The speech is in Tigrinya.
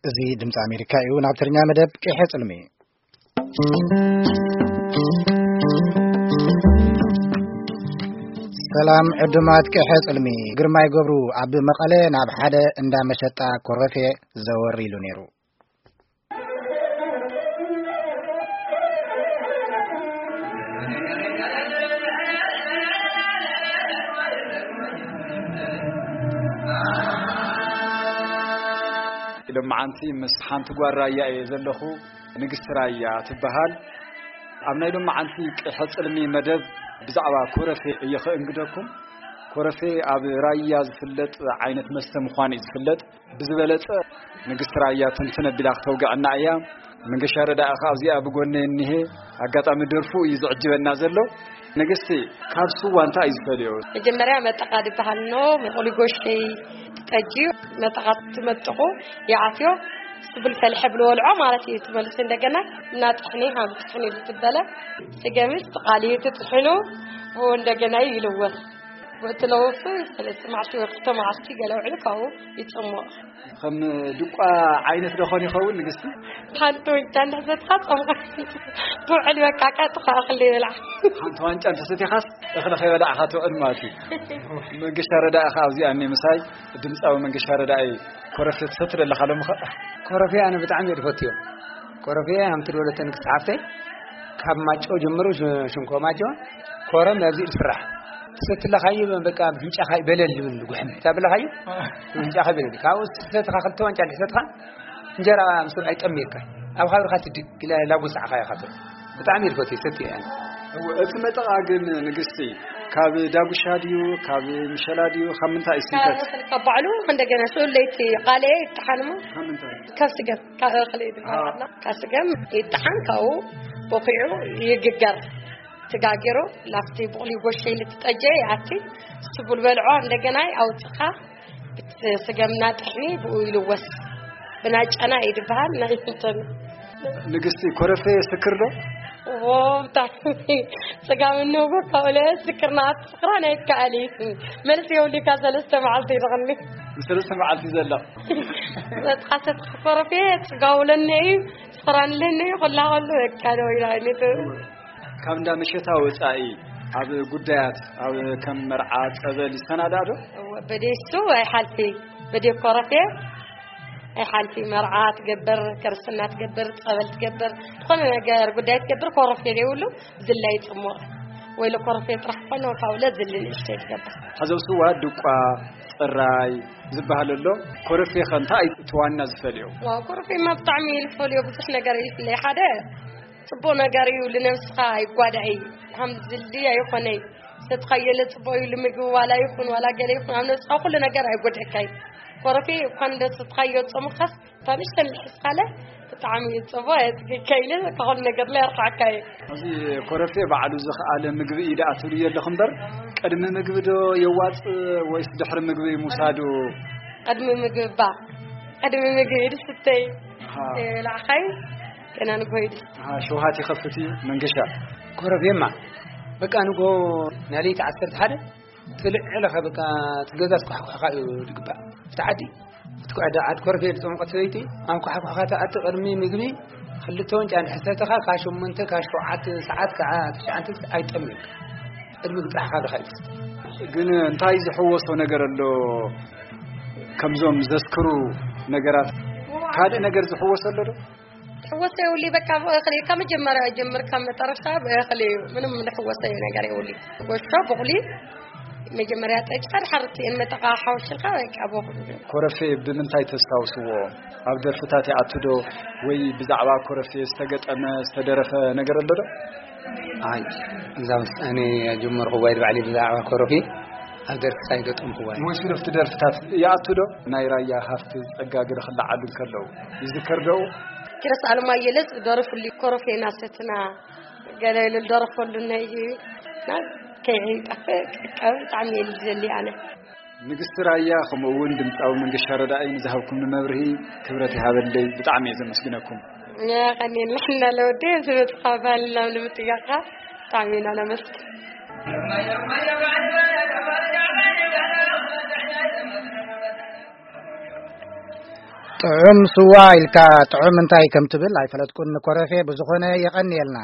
እዚ ድምፂ ኣሜሪካ እዩ። ናብ ትግርኛ መደብ ቅሐ ፅልሚ። ሰላም ዕዱማት ቅሐ ፅልሚ። ግርማይ ገብሩ ኣብ መቐለ ናብ ሓደ እንዳ መሸጣ ኮረፌ ዘወር ኢሉ ነይሩ። ኢሎም መዓንቲ ምስ ሓንቲ ጓል ራያ እየ ዘለኹ። ንግስቲ ራያ ትበሃል። ኣብ ናይ ሎማዓንቲ ቅሐ ጽልሚ መደብ ብዛዕባ ኮረፌ እየ ክእንግደኩም። ኮረፌ ኣብ ራያ ዝፍለጥ ዓይነት መስተ ምዃኑ እዩ ዝፍለጥ። ብዝበለጸ ንግስቲ ራያ ትንትን ኣቢላ ክተውግዐና እያ። መንገሻ ረዳኢ ከኣ ኣብዚኣ ብጎነይ እኒሄ። ኣጋጣሚ ደርፉ እዩ ዝዕጅበና ዘሎ። ንግስቲ፣ ካብ ስዋ እንታይ እዩ ዝፈልዮ? መጀመርያ መጠቓ ዝበሃል ኣሎ፣ መቑሊ ጎሸይ ጠጅ እዩ። መጠቓ ትመጥቑ፣ ይኣትዮ፣ ስብል ፈልሐ ብልወልዖ ማለት እዩ። ትመልሱ እንደገና እናጥሕኒ፣ ሃም ጥሕኒ ብዝበለ ስገምስ ተቓልዩ ትጥሕኑ፣ ብኡ እንደገና ይልወስ። ብእቲ ለወሱ ሰለስተ መዓልቲ ወይ ክልተ መዓልቲ ገለ ውዕሉ ካብኡ ይጽሞቕ። ከም ድቋ ዓይነት ዶ ኾን ይኸውን ንግስቲ? ሓንቲ ወንጫ እንዳሕዘትካ ጸምካ ትውዕል፣ በቃ ቀጥታ እኽሊ ይብላዕ። ሓንቲ ዋንጫ እንተሰቲኻስ እኽሊ ከይበላዕኻ ትውዕል ማለት እዩ። መንገሻ ረዳኢ ኸዓ ኣብዚኣ እኒ ምሳይ፣ ድምፃዊ መንገሻ ረዳኢ። ኮረፌ ትሰቲ ዶ ኣለኻ ሎምኸ? ኮረፌ ኣነ ብጣዕሚ እየ ዝፈትዮ። ኮረፌ ከምቲ ድወለተ ንግስቲ ሓፍተይ፣ ካብ ማጨው ጀምሩ፣ ሽ-፣ ሽንኮ ማጨው፣ ኮረም ኣብዚ ዝስራሕ። ትሰቲ ኣለኻዮ በቃ ብፍንጫኻ ይበለል ዝብል ጉሕም። ታብለኻዮ? ብፍንጫኻ ይበለል። ካብኡ ዝተትኻ ክልተ ዋንጫ ድሕሰትኻ እንጀራ ምስ ኣይጠምየካ። ኣብ ኻብርኻ ትድግ ኢላ ላጎሳዕኻ ኢኻ ትብል። ብጣዕሚ እየ ዝፈትዮ፣ ይሰትዮ እየ። እወ፣ እቲ መጠቓ ግን ንግስቲ፣ ካብ ዳጉሻ ድዩ፣ ካብ ምሸላ ድዩ፣ ካብ ምንታይ እዩ ካብ ዝስንከት? እኽሊ፣ ካብ ባዕሉ እንደገና ስኡል ለይቲ ቃልየ ይጠሓን እሞ ካብ ምንታይ? ካብ ስገም፣ ካብ እኽሊ ዝበሃል ኣሃ። ኣሎ። ካብ ስገም ይጠሓን፣ ካብኡ ቦኺዑ ይግገር። ተጋጊሩ ላፍቲ ብቑሊ ጎሸይ ልትጠጀ ይኣቲ፣ ስቡል በልዖ እንደገና ኣውፅኻ፣ ብቲ ስገምና ጥሕኒ ብኡ ይልወስ። ብናጫና እዩ ዝበሃል፣ ናይ እንትን። ንግስቲ፣ ኮረፌ ስክር ዶ? ዎ፣ ብጣዕሚ ጽጋም እንብሎ ካብኡ ስክርና ኣትስክራን ኣይከኣል እዩ። መልሲ የብሉካ፣ ሰለስተ መዓልቲ ይልቕኒ። ሰለስተ መዓልቲ ዘላ። መጥቃሰት ኮረፌ ጽጋውለኒ እዩ፣ ስኽራንለኒ እዩ፣ ኩላ ከሉ በቃ ደው ኢላ እዩ። ካብ እንዳ መሸታ ወጻኢ ኣብ ጉዳያት፣ ኣብ ከም መርዓ፣ ጸበል ይሰናዳእ ዶ? እወ፣ በዴሱ ኣይሓልፊ፣ በዴ ኮረፌ ኣይሓልፊ። መርዓ ትገብር፣ ክርስትና ትገብር፣ ጸበል ትገብር፣ ዝኾነ ነገር ጉዳይ ትገብር፣ ኮረፌ ዘይብሉ ዝላይ ጽሙቕ። ወይ ለኮረፌ ጥራሕ ኮነ፣ ካብኡ ለዝሊ ንእሽተይ ትገብር። ሐዚ ኣብ ስዋ ድቋ፣ ጽራይ ዝበሃል ኣሎ። ኮረፌ ከ እንታይ እቲ ዋና ዝፈልዮ? ዋው፣ ኮረፌማ ብጣዕሚ እዩ ዝፈልዮ፣ ብዙሕ ነገር እዩ ዝፍለይ። ሓደ ጽቡቕ ነገር እዩ፣ ልነብስኻ ይጓዳእ እዩ። ሃም ዝልዲ ኣይኾነይ። ሰትኻየለ ጽቡቕ እዩ፣ ልምግቢ ዋላ ይኹን፣ ዋላ ገለ ይኹን፣ ኣብ ነብስኻ ኩሉ ነገር ኣይጎድእካይ። ኮረፌ እኳ እንደ ሰትኻዮ ጾምኻስ፣ እታ ንእሽተን ልሕስኻለ ብጣዕሚ እዩ ጽቡቕ፣ የጽግካ ኢለ፣ ካብ ኩሉ ነገር ላይ ኣርሓዕካ እዩ። እዚ ኮረፌ ባዕሉ ዝኸኣለ ምግቢ እዩ ደኣ ትብልዮ ኣለኹ እምበር፣ ቅድሚ ምግቢ ዶ የዋጽእ ወይስ ድሕሪ ምግቢ ምውሳዱ? ቅድሚ ምግቢ እባ፣ ቅድሚ ምግቢ ድስትይ ኣሃ። የብላዕኻይ፣ ገና ንግሆ እዩ ድስቲ። ኣሃ፣ ሸውሃት ይኸፍት እዩ መንገሻ። ኮረፌማ፣ በቃ ንግሆ ናይ ለይቲ ዓሰርተ ሓደ ትልዕ ኢለኻ በቃ ትገዛ ትኳሕኳሕካ እዩ ዝግባእ። እቲ ዓዲ፣ እቲ ዓዲ፣ ዓዲ ኮረፌ ዝጠመቀት ሰበይቲ፣ ኣንኳሕኳሕካ ትኣቲ ቅድሚ ምግቢ፣ ክልተ ወንጫ እንድሕር ሰተኻ፣ ካብ ሸሞንተ፣ ካብ ሸውዓተ ሰዓት፣ ከዓ ትሽዓተ ኣይጠምየካ። ቅድሚ ምግቢ ጥራሕ ካብ ኢኻ እዩ ትስተ። ግን እንታይ ዝሕወሶ ነገር ኣሎ? ከምዞም ዘስክሩ ነገራት ካልእ ነገር ዝሕወሶ ኣሎ ዶ? ትሕወሶ የብሉይ፣ በቃ ብእኽሊ ካብ መጀመርያ ጀምር ካብ መጠረሽታ ብእኽሊ እዩ። ምንም ዝሕወሶ ነገር የብሉይ። ጎሾ፣ ቡቕሊ፣ መጀመርያ ጠጭ፣ ድሓር እቲ መጠቓ ሓውሽልካ በቃ ብእኽሊ። ኮረፌ ብምንታይ ተስታውስዎ? ኣብ ደርፍታት ይኣቱ ዶ? ወይ ብዛዕባ ኮረፌ ዝተገጠመ፣ ዝተደረፈ ነገር ኣሎ ዶ? ኣይ፣ እዛ ውሳኔ ጀመርኩዋ ኢድ ባዕለይ ብዛዕባ ኮረፌ ኣብ ደርፍታ ኣይገጠምኩዋ። ወይ ስለፍቲ ደርፍታት ይኣቱ ዶ? ናይ ራያ ሃፍቲ ጸጋ ገለ ክለዓሉ እንከለዉ ይዝከር ዶ? ኪሮስ ኣለማየሁ ለዝ ደረፉሉ ኮረፌና ሰትና ገለ ኢሉ ደረፈሉ ናይ እዩ። ና ከይጠፍእ ቀብ ብጣዕሚ እየ ዝደሊ ኣነ። ንግስቲ ራያ፣ ከምኡ እውን ድምፃዊ መንገሻ ረዳኢ ንዝሃብኩምኒ መብርሂ ክብረት ይሃበለይ። ብጣዕሚ እየ ዘመስግነኩም። የቐንየልና ለወዲ፣ ዝመፅኻ ባህልና ንምጥያቕካ ብጣዕሚ ኢና ነመስግን። ጥዑም ስዋ ኢልካ ጥዑም እንታይ ከም ትብል ኣይፈለጥኩን። ንኮረፌ ብዝኾነ የቐንየልና።